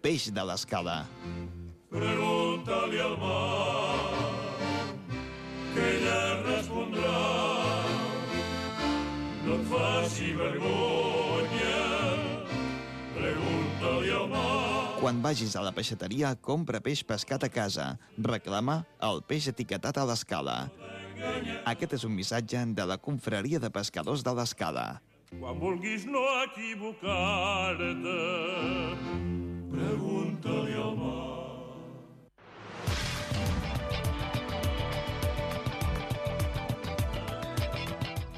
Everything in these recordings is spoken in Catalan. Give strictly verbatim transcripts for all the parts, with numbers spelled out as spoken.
peix de l'escala. Pregunta-li al mar, que ella respondrà. No et faci vergonya, pregunta-li al mar. Quan vagis a la peixateria, compra peix pescat a casa. Reclama el peix etiquetat a l'escala. Aquest és un missatge de la Confraria de Pescadors de l'Escala. Quan vulguis no equivocar-te, pregunta-li al mar.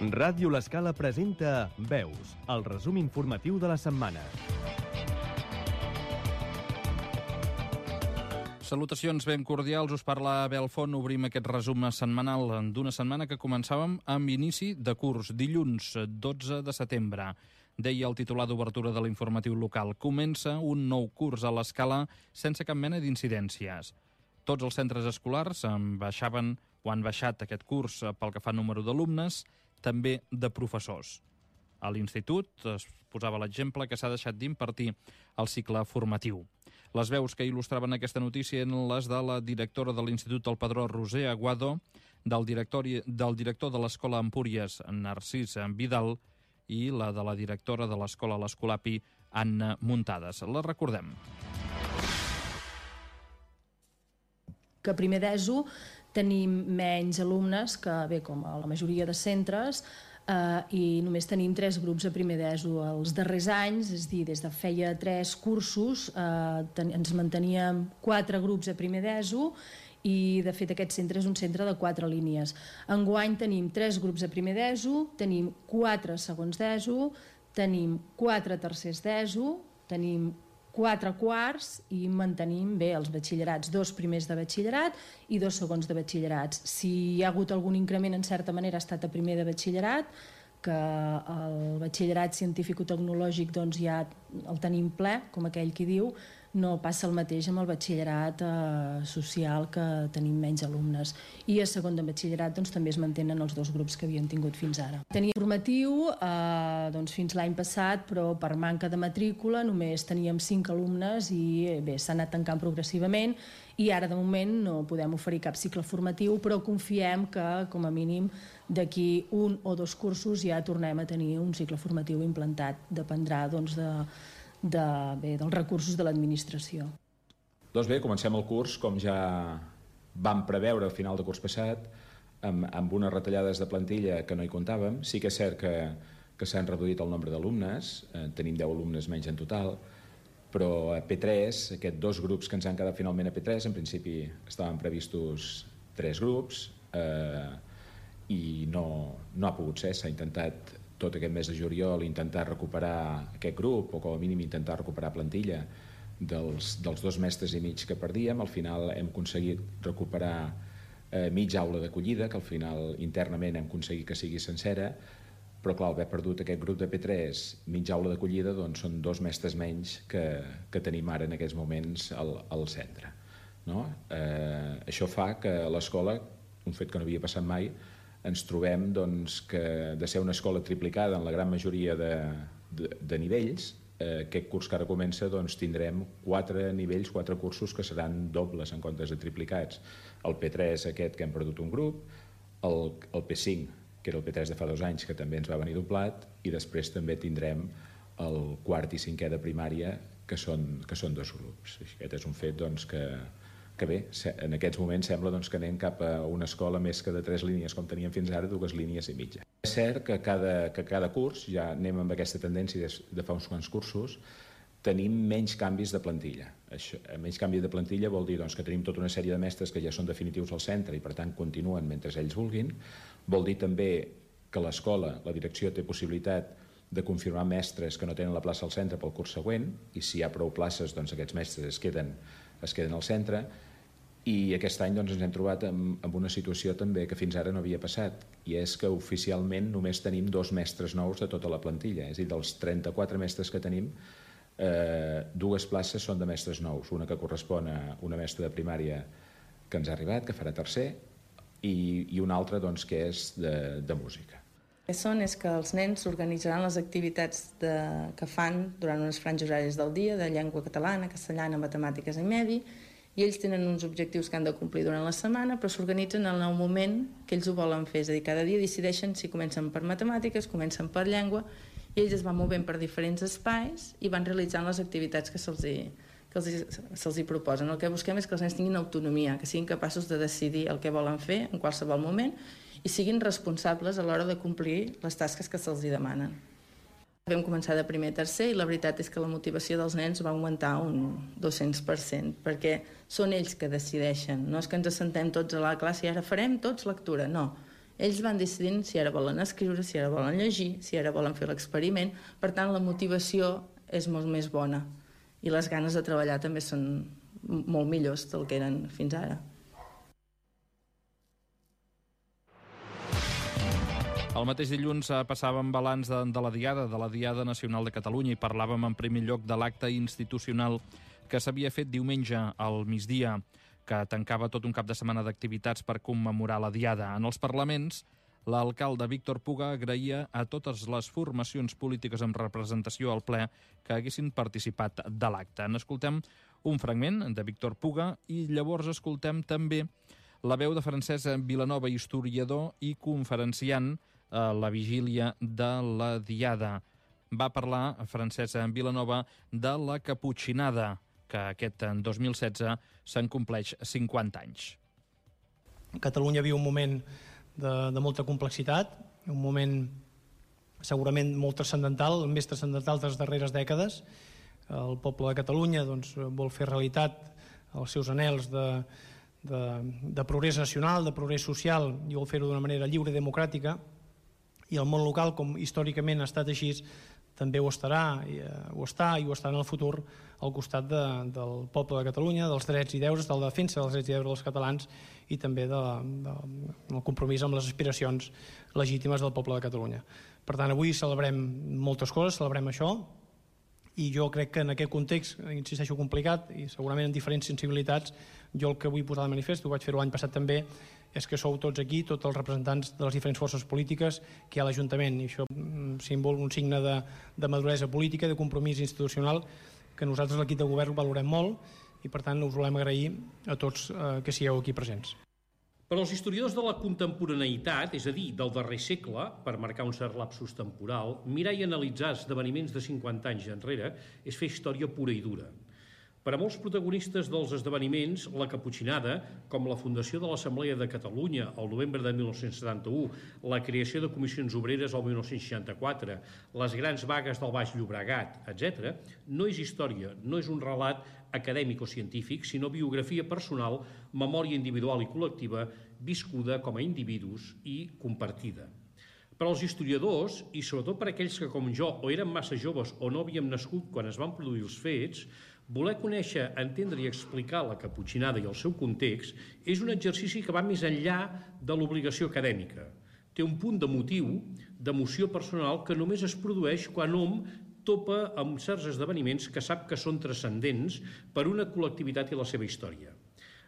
Ràdio L'Escala presenta Veus, el resum informatiu de la setmana. Salutacions ben cordials, us parla Abel Font. Obrim aquest resum setmanal d'una setmana que començàvem amb inici de curs, dilluns dotze de setembre. Deia el titular d'obertura de l'informatiu local: comença un nou curs a l'Escala sense cap mena d'incidències. Tots els centres escolars en baixaven o han baixat aquest curs pel que fa al número d'alumnes, també de professors. A l'institut es posava l'exemple que s'ha deixat d'impartir el cicle formatiu. Les veus que il·lustraven aquesta notícia eren les de la directora de l'Institut El Padró, Roser Aguado, del director, del director de l'Escola Empúries, Narcís Vidal, i la de la directora de l'Escola L'Escolapi, Anna Muntades. La recordem. Que a primer d'ESO tenim menys alumnes que, bé, com a la majoria de centres, eh, i només tenim tres grups a primer d'ESO els darrers anys, és a dir, des de feia tres cursos eh, ten, ens manteníem quatre grups a primer d'ESO i, de fet, aquest centre és un centre de quatre línies. Enguany tenim tres grups a primer d'ESO, tenim quatre segons d'ESO, tenim quatre tercers d'ESO, tenim quatre quarts i mantenim bé els batxillerats, dos primers de batxillerat i dos segons de batxillerats. Si hi ha hagut algun increment, en certa manera ha estat a primer de batxillerat, que el batxillerat científico-tecnològic doncs ja el tenim ple, com aquell qui diu. No passa el mateix amb el batxillerat eh, social, que tenim menys alumnes. I a segon de batxillerat doncs, també es mantenen els dos grups que havien tingut fins ara. Teníem formatiu eh, doncs, fins l'any passat, però per manca de matrícula només teníem cinc alumnes i bé, s'ha anat tancant progressivament i ara de moment no podem oferir cap cicle formatiu, però confiem que com a mínim d'aquí un o dos cursos ja tornem a tenir un cicle formatiu implantat. Dependrà doncs, de De, bé, dels recursos de l'administració. Doncs bé, comencem el curs com ja vam preveure al final de curs passat, amb, amb unes retallades de plantilla que no hi comptàvem. Sí que és cert que, que s'han reduït el nombre d'alumnes, eh, tenim deu alumnes menys en total, però a P tres, aquests dos grups que ens han quedat finalment a P tres, en principi estaven previstos tres grups eh, i no, no ha pogut ser, s'ha intentat tot aquest mes de juliol intentar recuperar aquest grup, o com a mínim intentar recuperar plantilla dels, dels dos mestres i mig que perdíem. Al final hem aconseguit recuperar eh, mitja aula d'acollida, que al final internament hem aconseguit que sigui sencera, però clar, haver perdut aquest grup de P tres, mitja aula d'acollida, doncs són dos mestres menys que, que tenim ara en aquests moments al, al centre. No? Eh, això fa que l'escola, un fet que no havia passat mai, ens trobem doncs, que de ser una escola triplicada en la gran majoria de, de, de nivells, eh, aquest curs que ara comença doncs, tindrem quatre nivells, quatre cursos que seran dobles en comptes de triplicats. El P tres aquest que hem perdut un grup, el, el P cinc, que era el P tres de fa dos anys, que també ens va venir doblat, i després també tindrem el quart i cinquè de primària, que són, que són dos grups. Aquest és un fet doncs, que que bé, en aquests moments sembla doncs, que anem cap a una escola més que de tres línies com teníem fins ara, dues línies i mitja. És cert que cada, que cada curs, ja anem amb aquesta tendència de, de fa uns quants cursos, tenim menys canvis de plantilla. Això, menys canvi de plantilla vol dir doncs, que tenim tota una sèrie de mestres que ja són definitius al centre i per tant continuen mentre ells vulguin. Vol dir també que l'escola, la direcció té possibilitat de confirmar mestres que no tenen la plaça al centre pel curs següent, i si hi ha prou places doncs aquests mestres es queden, es queden al centre. I aquest any doncs, ens hem trobat amb, amb una situació també que fins ara no havia passat, i és que oficialment només tenim dos mestres nous de tota la plantilla, és a dir, dels trenta-quatre mestres que tenim, eh, dues places són de mestres nous, una que correspon a una mestra de primària que ens ha arribat, que farà tercer, i, i una altra doncs, que és de, de música. El que són és que els nens organitzaran les activitats de, que fan durant unes franges horàries del dia, de llengua catalana, castellana, matemàtiques i medi, i ells tenen uns objectius que han de complir durant la setmana, però s'organitzen en el moment que ells ho volen fer. És a dir, cada dia decideixen si comencen per matemàtiques, comencen per llengua, i ells es van movent per diferents espais i van realitzant les activitats que se'ls hi, que se'ls, se'ls hi proposen. El que busquem és que els nens tinguin autonomia, que siguin capaços de decidir el que volen fer en qualsevol moment i siguin responsables a l'hora de complir les tasques que se'ls hi demanen. Vam començar de primer a tercer i la veritat és que la motivació dels nens va augmentar un dos-cents per cent, perquè són ells que decideixen. No és que ens assentem tots a la classe i ara farem tots lectura, no. Ells van decidint si ara volen escriure, si ara volen llegir, si ara volen fer l'experiment. Per tant, la motivació és molt més bona i les ganes de treballar també són molt millors del que eren fins ara. El mateix dilluns passàvem balanç de, de la Diada, de la Diada Nacional de Catalunya, i parlàvem en primer lloc de l'acte institucional que s'havia fet diumenge al migdia, que tancava tot un cap de setmana d'activitats per commemorar la Diada. En els parlaments, l'alcalde Víctor Puga agraïa a totes les formacions polítiques amb representació al ple que haguessin participat de l'acte. N'escoltem un fragment de Víctor Puga i llavors escoltem també la veu de Francesc Vilanova, historiador i conferenciant a la vigília de la Diada. Va parlar Francesc Vilanova de la Caputxinada, que aquest dos mil setze se'n compleix cinquanta anys. Catalunya viu un moment de, de molta complexitat, un moment segurament molt transcendental, més transcendental de les darreres dècades. El poble de Catalunya doncs, vol fer realitat els seus anhels de, de, de progrés nacional, de progrés social, i vol fer-ho d'una manera lliure i democràtica. I el món local, com històricament ha estat així, també ho estarà, i, uh, ho està i ho estarà en el futur al costat de, del poble de Catalunya, dels drets i deures, de la defensa dels drets i deures dels catalans i també de, de, del compromís amb les aspiracions legítimes del poble de Catalunya. Per tant, avui celebrem moltes coses, celebrem això, i jo crec que en aquest context, insisteixo, complicat i segurament amb diferents sensibilitats, jo el que vull posar de manifest, ho vaig fer-ho l'any passat també, és que sou tots aquí, tots els representants de les diferents forces polítiques que hi ha a l'Ajuntament, i això símbol, un signe de, de maduresa política, de compromís institucional, que nosaltres l'equip de govern valorem molt i per tant us volem agrair a tots eh, que sigueu aquí presents. Per als historiadors de la contemporaneïtat, és a dir, del darrer segle, per marcar un cert lapsus temporal, mirar i analitzar esdeveniments de cinquanta anys enrere és fer història pura i dura. Per a molts protagonistes dels esdeveniments, la Caputxinada, com la fundació de l'Assemblea de Catalunya el novembre de mil nou-cents setanta-u, la creació de comissions obreres el mil nou-cents seixanta-quatre, les grans vagues del Baix Llobregat, etcètera, no és història, no és un relat acadèmic o científic, sinó biografia personal, memòria individual i col·lectiva, viscuda com a individus i compartida. Per als historiadors, i sobretot per aquells que, com jo, o eren massa joves o no havíem nascut quan es van produir els fets, voler conèixer, entendre i explicar la Caputxinada i el seu context és un exercici que va més enllà de l'obligació acadèmica. Té un punt de motiu, d'emoció personal, que només es produeix quan hom topa amb certs esdeveniments que sap que són transcendents per una col·lectivitat i la seva història.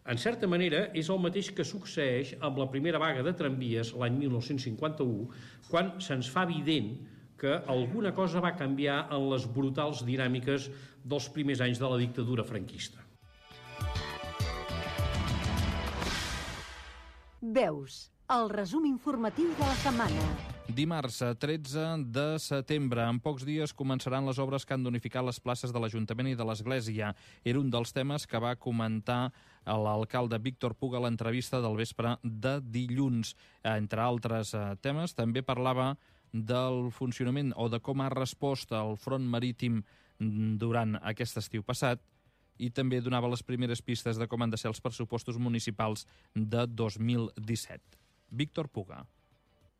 En certa manera, és el mateix que succeeix amb la primera vaga de tramvies l'any mil nou-cents cinquanta-u, quan se'ns fa evident que alguna cosa va canviar en les brutals dinàmiques dels primers anys de la dictadura franquista. Veus, el resum informatiu de la setmana. Dimarts, tretze de setembre, en pocs dies començaran les obres que han d'unificar les places de l'Ajuntament i de l'Església. Era un dels temes que va comentar l'alcalde Víctor Puga a l'entrevista del vespre de dilluns. Entre altres temes, també parlava del funcionament o de com ha respost el front marítim durant aquest estiu passat i també donava les primeres pistes de com han de ser els pressupostos municipals de dos mil disset. Víctor Puga.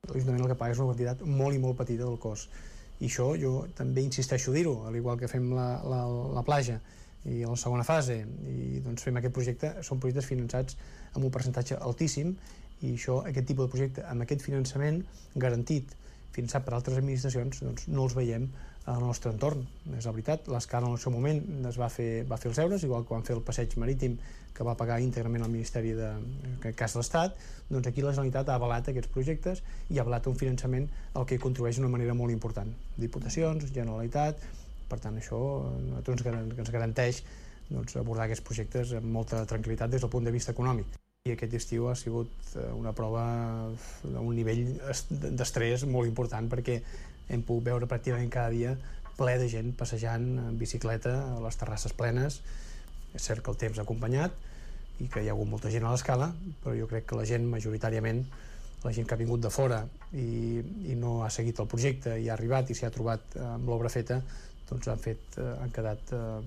L'Ajuntament el que paga és una quantitat molt i molt petita del cost. I això jo també insisteixo a dir-ho, al igual que fem la, la, la platja i la segona fase, i doncs fem aquest projecte, són projectes finançats amb un percentatge altíssim, i això, aquest tipus de projecte amb aquest finançament garantit finançat per altres administracions, doncs no els veiem al nostre entorn. És la veritat, l'Escala en el seu moment es va fer, va fer els deures, igual que van fer el passeig marítim que va pagar íntegrament el Ministeri de, en cas de l'Estat, doncs aquí la Generalitat ha avalat aquests projectes i ha avalat un finançament al que hi contribueix d'una manera molt important. Diputacions, Generalitat, per tant això a tots ens garanteix doncs, abordar aquests projectes amb molta tranquil·litat des del punt de vista econòmic. I aquest estiu ha sigut una prova d'un nivell d'estrès molt important perquè hem pogut veure pràcticament cada dia ple de gent passejant en bicicleta a les terrasses plenes. És cert que el temps ha acompanyat i que hi ha hagut molta gent a l'Escala, però jo crec que la gent majoritàriament, la gent que ha vingut de fora i, i no ha seguit el projecte i ha arribat i s'hi ha trobat amb l'obra feta, doncs han, fet, han quedat eh,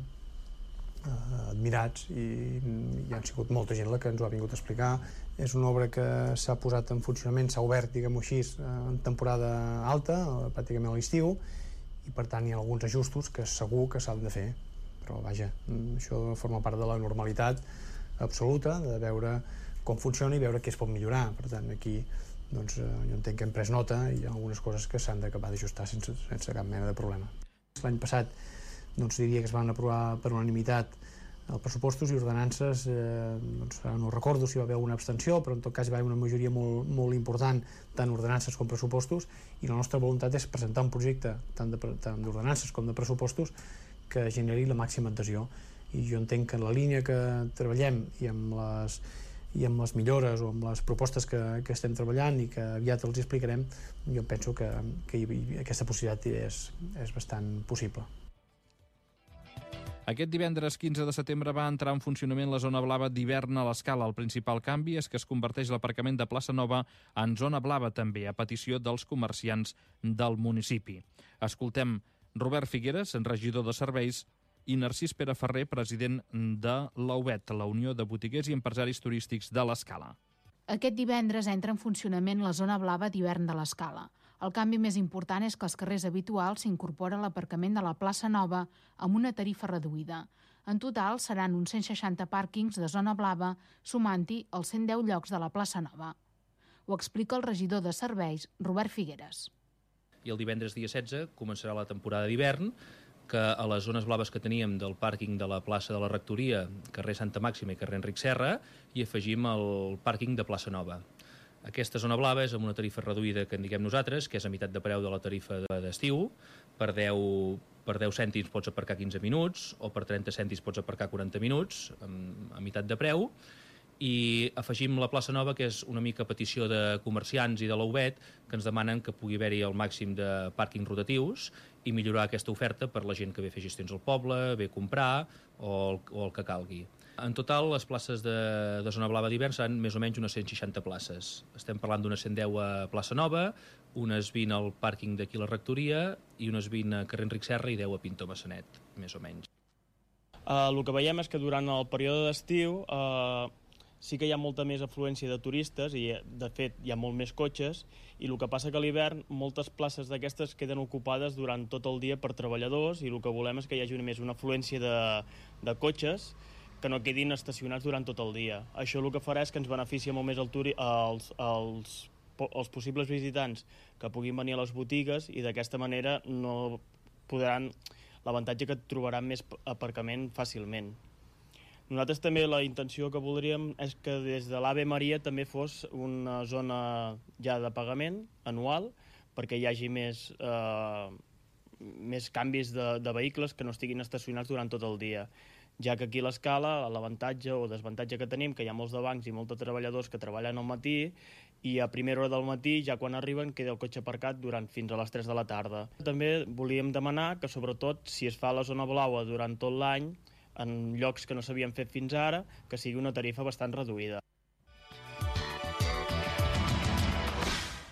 admirats i hi ha sigut molta gent la que ens ho ha vingut a explicar. És una obra que s'ha posat en funcionament, s'ha obert, diguem-ho així, en temporada alta, pràcticament a l'estiu, i per tant hi ha alguns ajustos que segur que s'han de fer. Però vaja, això forma part de la normalitat absoluta, de veure com funciona i veure què es pot millorar. Per tant, aquí doncs, jo entenc que hem pres nota i hi ha algunes coses que s'han d'acabar d'ajustar sense, sense cap mena de problema. L'any passat doncs, diria que es van aprovar per unanimitat els pressupostos i ordenances, eh, doncs, no recordo si va haver una abstenció, però en tot cas hi va haver una majoria molt, molt important, tant ordenances com pressupostos, i la nostra voluntat és presentar un projecte tant d'ordenances com de pressupostos que generi la màxima adhesió. I jo entenc que en la línia que treballem i amb les, i amb les millores o amb les propostes que, que estem treballant i que aviat els explicarem, jo penso que, que aquesta possibilitat és, és bastant possible. Aquest divendres quinze de setembre va entrar en funcionament la zona blava d'hivern a l'Escala. El principal canvi és que es converteix l'aparcament de Plaça Nova en zona blava també, a petició dels comerciants del municipi. Escoltem Robert Figueres, regidor de serveis, i Narcís Pere Ferrer, president de l'A U B E T, la Unió de Botiguers i Empresaris Turístics de l'Escala. Aquest divendres entra en funcionament la zona blava d'hivern de l'Escala. El canvi més important és que als carrers habituals s'incorpora l'aparcament de la plaça Nova amb una tarifa reduïda. En total seran uns cent seixanta pàrquings de zona blava, sumant-hi els cent deu llocs de la plaça Nova. Ho explica el regidor de serveis, Robert Figueres. I el divendres dia setze començarà la temporada d'hivern, que a les zones blaves que teníem del pàrquing de la plaça de la Rectoria, carrer Santa Màxima i carrer Enric Serra, hi afegim el pàrquing de plaça Nova. Aquesta zona blava és amb una tarifa reduïda que en diguem nosaltres, que és a meitat de preu de la tarifa d'estiu. Per deu, per deu cèntims pots aparcar quinze minuts o per trenta cèntims pots aparcar quaranta minuts a meitat de preu. I afegim la plaça Nova, que és una mica petició de comerciants i de l'A U B E T, que ens demanen que pugui haver-hi el màxim de pàrquings rotatius i millorar aquesta oferta per la gent que ve a fer gestions al poble, ve a comprar o el, o el que calgui. En total, les places de, de zona blava d'hivern seran més o menys unes cent seixanta places. Estem parlant d'unes cent deu a plaça Nova, unes vint al pàrquing d'aquí a la Rectoria i unes vint a carrer Enric Serra i deu a Pinto Massanet, més o menys. Uh, el que veiem és que durant el període d'estiu uh, sí que hi ha molta més afluència de turistes i, de fet, hi ha molt més cotxes, i el que passa que a l'hivern moltes places d'aquestes queden ocupades durant tot el dia per treballadors i el que volem és que hi hagi més una afluència de, de cotxes que no quedin estacionats durant tot el dia. Això el que farà és que ens beneficia molt més el turi els, els, els possibles visitants que puguin venir a les botigues i d'aquesta manera no podran, l'avantatge que trobaran més aparcament fàcilment. Nosaltres també la intenció que voldríem és que des de l'Ave Maria també fos una zona ja de pagament anual perquè hi hagi més, eh, més canvis de, de vehicles que no estiguin estacionats durant tot el dia. Ja que aquí a l'Escala l'avantatge o desavantatge que tenim, que hi ha molts de bancs i molts de treballadors que treballen al matí i a primera hora del matí, ja quan arriben, queda el cotxe aparcat durant fins a les tres de la tarda. També volíem demanar que, sobretot, si es fa la zona blaua durant tot l'any, en llocs que no s'havien fet fins ara, que sigui una tarifa bastant reduïda.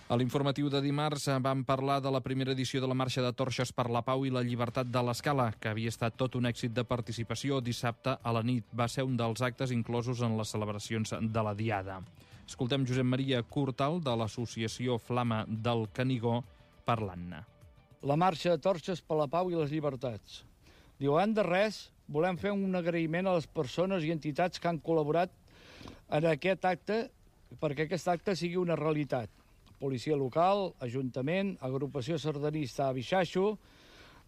A l'informatiu de dimarts vam parlar de la primera edició de la Marxa de Torxes per la Pau i la Llibertat de l'Escala, que havia estat tot un èxit de participació dissabte a la nit. Va ser un dels actes inclosos en les celebracions de la Diada. Escoltem Josep Maria Curtal, de l'associació Flama del Canigó, parlant-ne. La Marxa de Torxes per la Pau i les Llibertats. Diu, abans de res, volem fer un agraïment a les persones i entitats que han col·laborat en aquest acte perquè aquest acte sigui una realitat. policia local, ajuntament, agrupació sardanista a Bixaixo,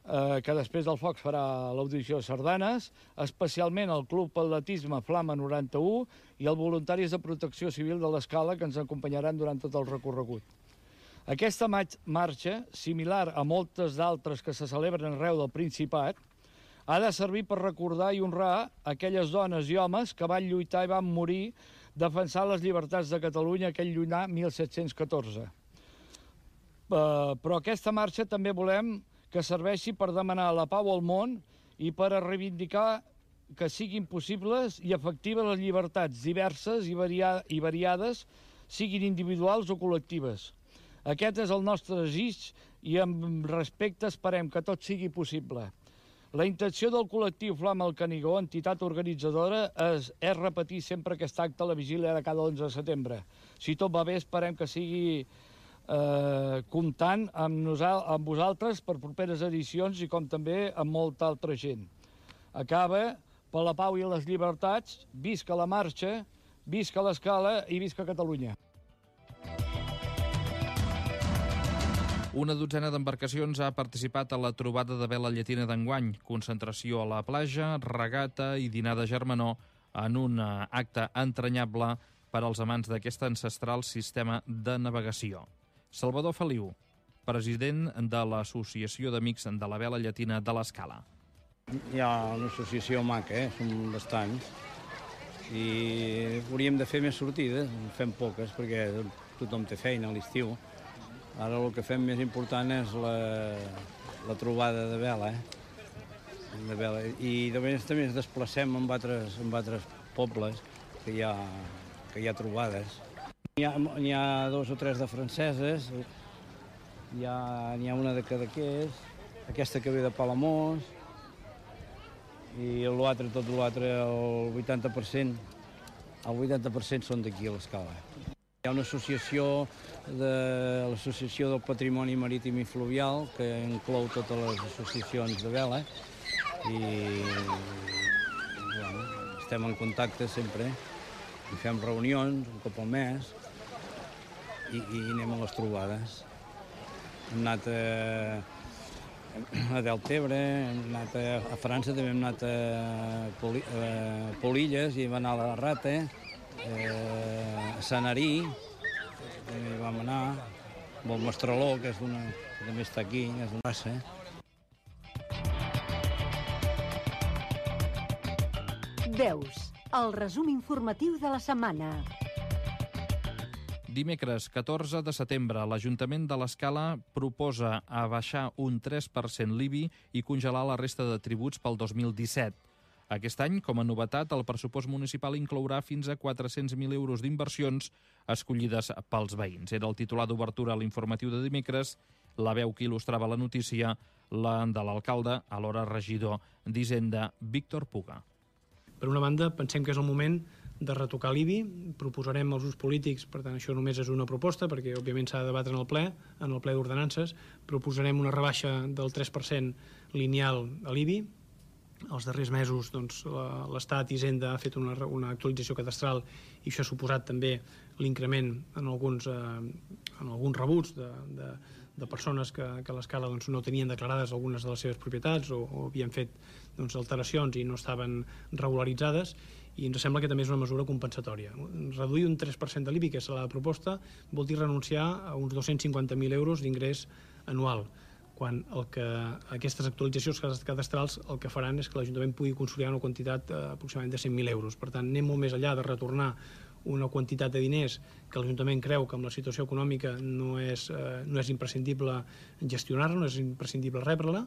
eh, que després del foc farà l'audició de sardanes, especialment el Club Atletisme Flama noranta-u i els voluntaris de protecció civil de l'Escala, que ens acompanyaran durant tot el recorregut. Aquesta marxa, similar a moltes d'altres que se celebren arreu del Principat, ha de servir per recordar i honrar aquelles dones i homes que van lluitar i van morir defensant les llibertats de Catalunya aquell llunyà mil set-cents catorze. Però aquesta marxa també volem que serveixi per demanar la pau al món i per a reivindicar que siguin possibles i efectives les llibertats diverses i variades, siguin individuals o col·lectives. Aquest és el nostre desig i amb respecte esperem que tot sigui possible. La intenció del col·lectiu Flama al Canigó, entitat organitzadora, és, és repetir sempre aquest acte a la vigília de cada onze de setembre. Si tot va bé, esperem que sigui eh, comptant amb, nosal, amb vosaltres per properes edicions i com també amb molta altra gent. Acaba per la pau i les llibertats, visca la marxa, visca l'Escala i visca Catalunya. Una dotzena d'embarcacions ha participat a la trobada de vela llatina d'enguany. Concentració a la platja, regata i dinar de germanor en un acte entranyable per als amants d'aquest ancestral sistema de navegació. Salvador Feliu, president de l'Associació d'Amics de la Vela Llatina de l'Escala. Hi ha una associació maca, eh? Som bastants, i hauríem de fer més sortides, en fem poques perquè tothom té feina a l'estiu. Ara el que fem més important és la, la trobada de vela, eh? de vela. I de vegades també ens desplacem en altres, en altres pobles que hi ha, que hi ha trobades. N'hi ha, n'hi ha dos o tres de franceses, n'hi ha, n'hi ha una de Cadaqués, aquesta que ve de Palamós, i l'altre, tot l'altre, el vuitanta per cent, el vuitanta per cent són d'aquí a l'Escala. Hi ha una associació, de l'Associació del Patrimoni Marítim i Fluvial, que inclou totes les associacions de vela, i bueno, estem en contacte sempre, i fem reunions un cop al mes, i, i anem a les trobades. Hem anat a, a Deltebre, hem anat a, a França, també hem anat a, Poli, a Polilles, i vam anar a la Rata, eh, a Sanarí, també hi vam anar, amb el Mestraló, que, és una, que també està aquí, és una raça. Veus, el resum informatiu de la setmana. Dimecres, catorze de setembre, l'Ajuntament de l'Escala proposa abaixar un tres per cent l'I B I i congelar la resta de tributs pel dos mil disset. Aquest any, com a novetat, el pressupost municipal inclourà fins a quatre-cents mil euros d'inversions escollides pels veïns. Era el titular d'obertura a l'informatiu de dimecres, la veu que il·lustrava la notícia, la de l'alcalde, alhora regidor d'Hisenda, Víctor Puga. Per una banda, pensem que és el moment de retocar l'I B I, proposarem als grups polítics, per tant això només és una proposta, perquè òbviament s'ha de debatre en el ple, en el ple d'ordenances, proposarem una rebaixa del tres per cent lineal a l'I B I. Els darrers mesos doncs, l'Estat i Hisenda ha fet una, una actualització cadastral i això ha suposat també l'increment en alguns, eh, en alguns rebuts de, de, de persones que, que a l'Escala doncs, no tenien declarades algunes de les seves propietats o, o havien fet doncs, alteracions i no estaven regularitzades, i ens sembla que també és una mesura compensatòria. Reduir un tres per cent de l'I B I, que és la proposta, vol dir renunciar a uns dos-cents cinquanta mil euros d'ingrés anual, quan el que, aquestes actualitzacions cadastrals el que faran és que l'Ajuntament pugui consolidar una quantitat eh, aproximadament de cent mil euros. Per tant, anem molt més enllà de retornar una quantitat de diners que l'Ajuntament creu que amb la situació econòmica no és, eh, no és imprescindible gestionar-la, no és imprescindible rebre-la,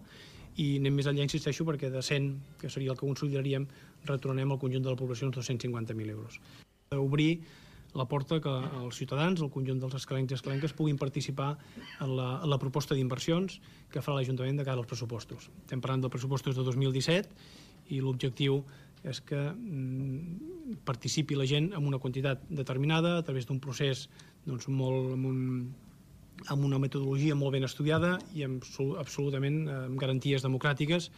i anem més enllà, insisteixo, perquè de cent, que seria el que consolidaríem, retornem al conjunt de la població uns dos-cents cinquanta mil euros. Obrir la porta que els ciutadans, el conjunt dels escalencs i escalenques, puguin participar en la, en la proposta d'inversions que farà l'Ajuntament de cara als pressupostos. Estem parlant dels pressupostos de dos mil disset i l'objectiu és que mm, participi la gent en una quantitat determinada a través d'un procés doncs, molt, amb, un, amb una metodologia molt ben estudiada i amb, absolutament amb garanties democràtiques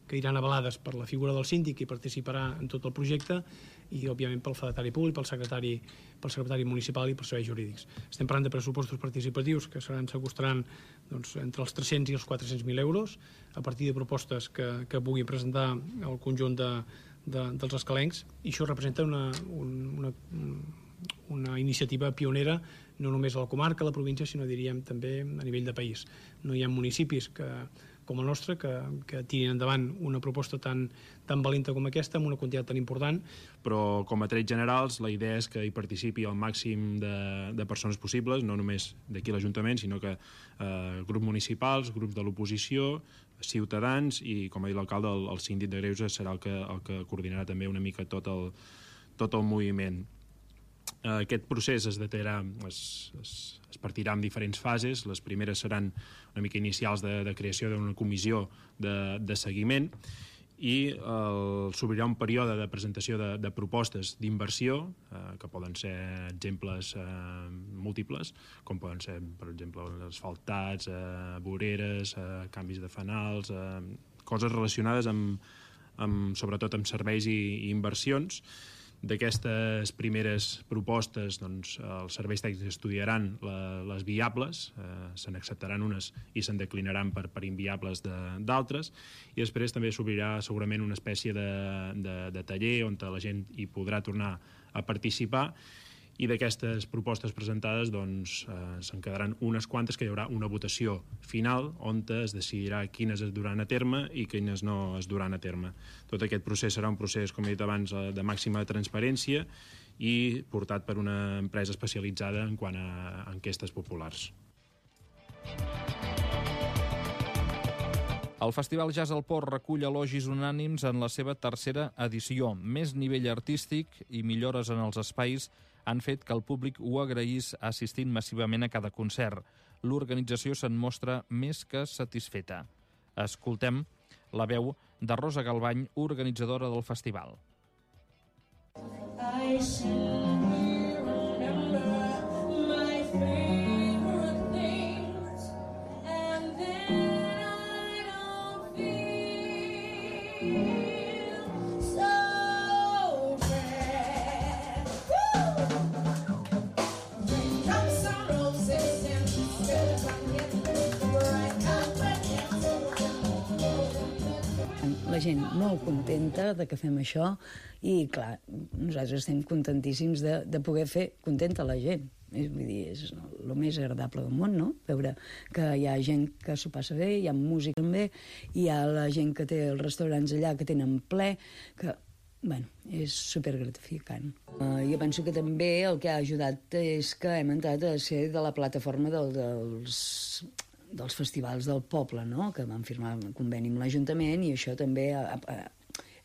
que iran avalades per la figura del síndic i participarà en tot el projecte, i, òbviament, pel fedatari públic, pel secretari, pel secretari municipal i pels serveis jurídics. Estem parlant de pressupostos participatius que seran, s'acostaran doncs, entre els tres-cents i els quatre-cents mil euros, a partir de propostes que, que pugui presentar el conjunt de, de, dels escalencs, i això representa una, una, una iniciativa pionera no només a la comarca, a la província, sinó, diríem, també a nivell de país. No hi ha municipis que, com el nostre que, que tirin endavant una proposta tan, tan valenta com aquesta, amb una quantitat tan important. Però, com a trets generals, la idea és que hi participi el màxim de, de persones possibles, no només d'aquí l'Ajuntament, sinó que eh, grups municipals, grups de l'oposició, ciutadans i, com ha dit l'alcalde, el, el síndic de Greuges serà el que, el que coordinarà també una mica tot el, tot el moviment. Aquest procés es detallarà, es, es, es partirà en diferents fases. Les primeres seran una mica inicials de, de creació d'una comissió de, de seguiment i eh, s'obrirà un període de presentació de, de propostes d'inversió, eh, que poden ser exemples eh, múltiples, com poden ser, per exemple, asfaltats, eh, voreres, eh, canvis de fanals, eh, coses relacionades amb, amb, sobretot amb serveis i, i inversions. D'aquestes primeres propostes, doncs, els serveis tècnics estudiaran la, les viables, eh, se n'acceptaran unes i se'n declinaran per, per inviables d'altres, i després també s'obrirà segurament una espècie de, de, de taller on la gent hi podrà tornar a participar, i d'aquestes propostes presentades doncs, eh, se'n quedaran unes quantes que hi haurà una votació final on es decidirà quines es duran a terme i quines no es duran a terme. Tot aquest procés serà un procés, com he dit abans, de màxima transparència i portat per una empresa especialitzada en quant a enquestes populars. El Festival Jazz al Port recull elogis unànims en la seva tercera edició. Més nivell artístic i millores en els espais han fet que el públic ho agraís assistint massivament a cada concert. L'organització se'n mostra més que satisfeta. Escoltem la veu de Rosa Galvany, organitzadora del festival. I la gent molt contenta de que fem això i, clar, nosaltres estem contentíssims de, de poder fer contenta la gent. És, vull dir, és el més agradable del món, no? Veure que hi ha gent que s'ho passa bé, hi ha música també, hi ha la gent que té els restaurants allà que tenen ple, que, bueno, és supergratificant. Uh, jo penso que també el que ha ajudat és que hem entrat a ser de la plataforma del, dels... dels festivals del poble, no? Que vam firmar un conveni amb l'Ajuntament i això també ha, ha,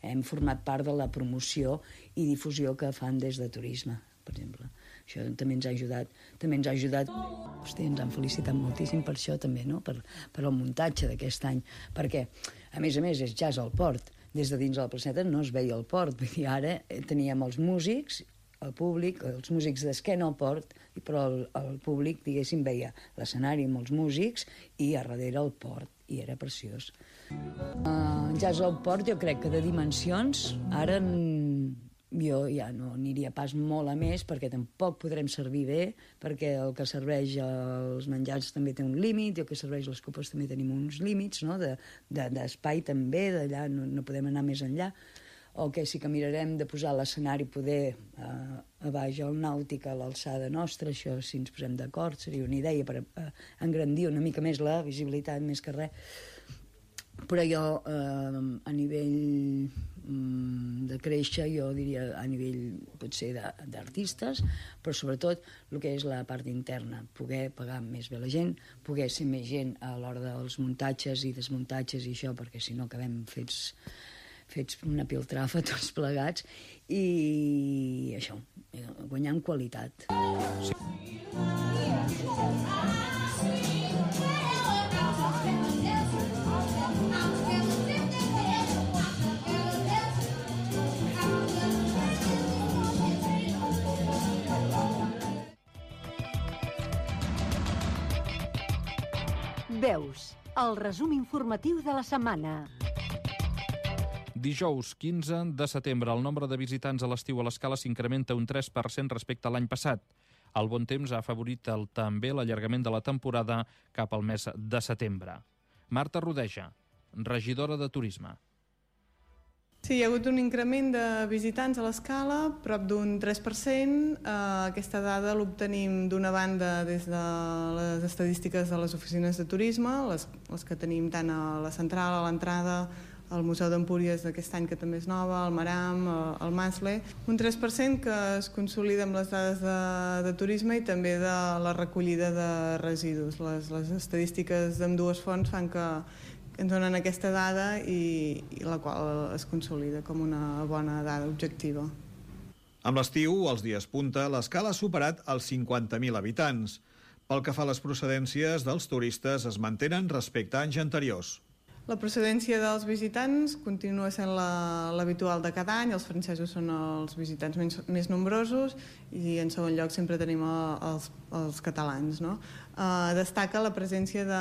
hem format part de la promoció i difusió que fan des de turisme, per exemple. Això també ens ha ajudat, també ens ha ajudat. Hosti, ens han felicitat moltíssim per això també, no? Per, per el muntatge d'aquest any, perquè, a més a més, és jazz al port. Des de dins de la placeta no es veia el port, vull dir, ara teníem els músics, el públic, els músics d'esquena al port, però el, el públic, diguéssim, veia l'escenari amb els músics i a darrere el port, i era preciós. Uh, jazz al port jo crec que de dimensions, ara jo ja no aniria pas molt a més perquè tampoc podrem servir bé, perquè el que serveix els menjars també té un límit, i el que serveix les copes també tenim uns límits, no? de, de, d'espai també, d'allà no, no podem anar més enllà. O que sí que mirarem de posar l'escenari poder eh, a baix al nàutic a l'alçada nostra, això si ens posem d'acord seria una idea per eh, engrandir una mica més la visibilitat més que res. Però jo eh, a nivell mm, de créixer, jo diria a nivell potser d'artistes, però sobretot el que és la part interna, poder pagar més bé la gent, poder ser més gent a l'hora dels muntatges i desmuntatges i això, perquè si no acabem fets fets una piltrafa tots plegats, i això, guanyar en qualitat. Sí. Veus, el resum informatiu de la setmana. Dijous, quinze de setembre, el nombre de visitants a l'estiu a l'Escala s'incrementa un tres per cent respecte a l'any passat. El bon temps ha afavorit el, també l'allargament de la temporada cap al mes de setembre. Marta Rodeja, regidora de Turisme. Sí, hi ha hagut un increment de visitants a l'Escala, prop d'un tres per cent. Eh, aquesta dada l'obtenim d'una banda des de les estadístiques de les oficines de turisme, les, les que tenim tant a la central, a l'entrada, al Museu d'Empúries d'aquest any, que també és nova, al Maram, al Masle. Un tres per cent que es consolida amb les dades de, de turisme i també de la recollida de residus. Les, les estadístiques d'ambdues fonts fan que ens donen aquesta dada i, i la qual es consolida com una bona dada objectiva. Amb l'estiu, els dies punta, l'Escala ha superat els cinquanta mil habitants. Pel que fa a les procedències dels turistes, es mantenen respecte a anys anteriors. La procedència dels visitants continua sent l'habitual de cada any. Els francesos són els visitants més, més nombrosos i en segon lloc sempre tenim els, els catalans. No? Uh, destaca la presència de,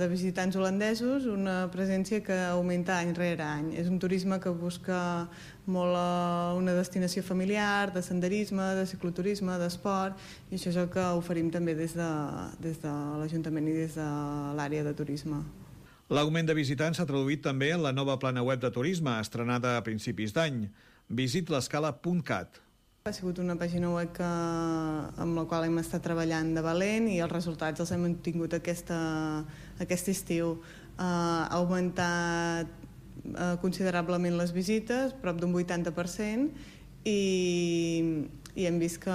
de visitants holandesos, una presència que augmenta any rere any. És un turisme que busca molt uh, una destinació familiar, de senderisme, de cicloturisme, d'esport, i això és el que oferim també des de, des de l'Ajuntament i des de l'àrea de turisme. L'augment de visitants s'ha traduït també en la nova plana web de turisme, estrenada a principis d'any, visit l'escala punt cat. Ha sigut una pàgina web que, amb la qual hem estat treballant de valent i els resultats els hem tingut aquesta, aquest estiu. Uh, ha augmentat uh, considerablement les visites, prop d'un vuitanta per cent, i, i hem vist que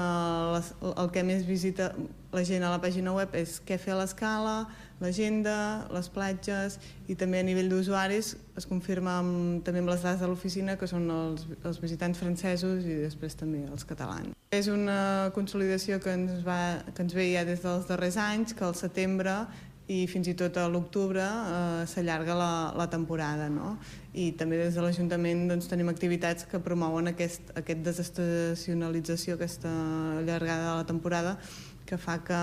les, el que més visita la gent a la pàgina web és què fer a l'Escala, l'agenda, les platges, i també a nivell d'usuaris es confirma amb, també amb les dades de l'oficina, que són els, els visitants francesos i després també els catalans. És una consolidació que ens, va, que ens ve ja des dels darrers anys, que al setembre i fins i tot a l'octubre eh, s'allarga la, la temporada, no? I també des de l'Ajuntament doncs, tenim activitats que promouen aquest, aquest desestacionalització, aquesta allargada de la temporada, que fa que,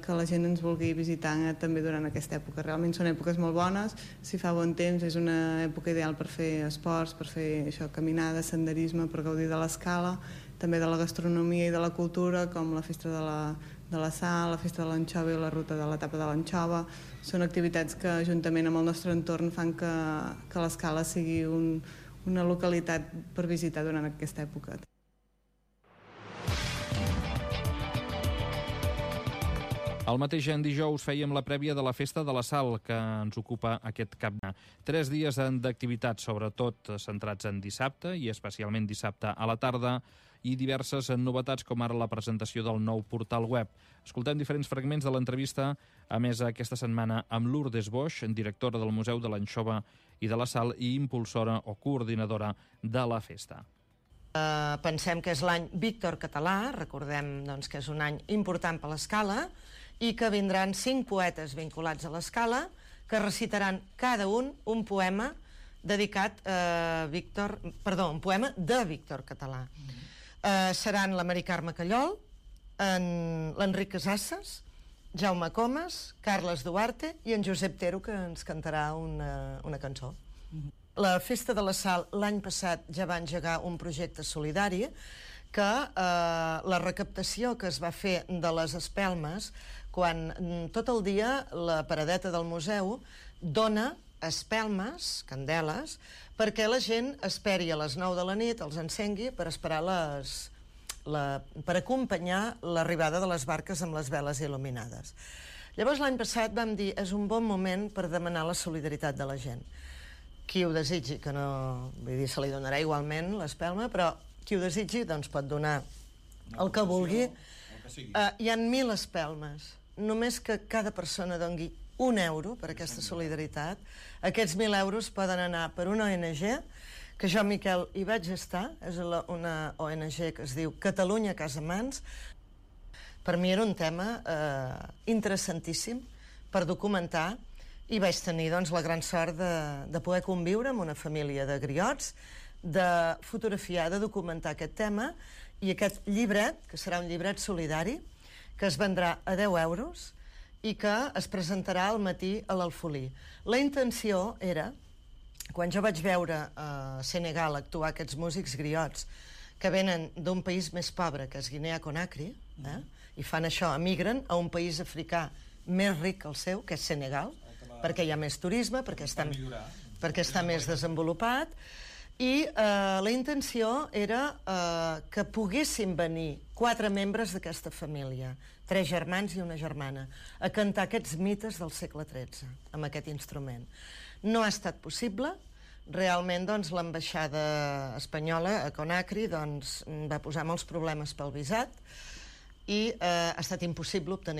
que la gent ens vulgui visitar també durant aquesta època. Realment són èpoques molt bones, si fa bon temps és una època ideal per fer esports, per fer això, caminada, senderisme, per gaudir de l'Escala, també de la gastronomia i de la cultura, com la festa de la, de la sal, la festa de l'anxova i la ruta de l'etapa de l'anxova. Són activitats que juntament amb el nostre entorn fan que, que l'Escala sigui un, una localitat per visitar durant aquesta època. El mateix en dijous fèiem la prèvia de la Festa de la Sal, que ens ocupa aquest cap de. Tres dies d'activitats, sobretot centrats en dissabte, i especialment dissabte a la tarda, i diverses novetats, com ara la presentació del nou portal web. Escoltem diferents fragments de l'entrevista, a més aquesta setmana amb Lourdes Boix, directora del Museu de l'Anxova i de la Sal i impulsora o coordinadora de la festa. Uh, pensem que és l'any Víctor Català, recordem doncs, que és un any important per l'Escala, i que vindran cinc poetes vinculats a l'Escala que recitaran cada un un poema dedicat a Víctor, perdó, un poema de Víctor Català. Mm-hmm. Uh, seran la Mari Carme Callol, l'Enric Casasses, Jaume Comas, Carles Duarte i en Josep Tero, que ens cantarà una, una cançó. Mm-hmm. La Festa de la Sal l'any passat ja va engegar un projecte solidari que eh, la recaptació que es va fer de les espelmes, quan tot el dia la paradeta del museu dona espelmes, candeles, perquè la gent esperi a les nou de la nit, els encengui per esperar les, la, per acompanyar l'arribada de les barques amb les veles il·luminades. Llavors l'any passat vam dir és un bon moment per demanar la solidaritat de la gent. Qui ho desitgi, que no, vull dir, se li donarà igualment l'espelma, però qui ho desitgi doncs pot donar el que vulgui. Uh, hi ha mil espelmes. Només que cada persona doni un euro per aquesta solidaritat. Aquests mil euros poden anar per una O N G, que jo, Miquel, hi vaig estar. És una O N G que es diu Catalunya Casa Mans. Per mi era un tema eh, interessantíssim per documentar, i vaig tenir doncs, la gran sort de, de poder conviure amb una família de griots, de fotografiar, de documentar aquest tema, i aquest llibret, que serà un llibret solidari, que es vendrà a deu euros i que es presentarà al matí a l'Alfolí. La intenció era quan jo vaig veure a Senegal actuar aquests músics griots que venen d'un país més pobre, que és Guinea-Conakry, eh? i fan això, emigren a un país africà més ric que el seu, que és Senegal, perquè hi ha més turisme, perquè està, perquè està més desenvolupat, i eh, la intenció era eh, que poguessin venir quatre membres d'aquesta família, tres germans i una germana, a cantar aquests mites del segle tretze, amb aquest instrument. No ha estat possible. Realment, doncs, l'ambaixada espanyola a Conakry doncs, va posar molts problemes pel visat i eh, ha estat impossible obtenir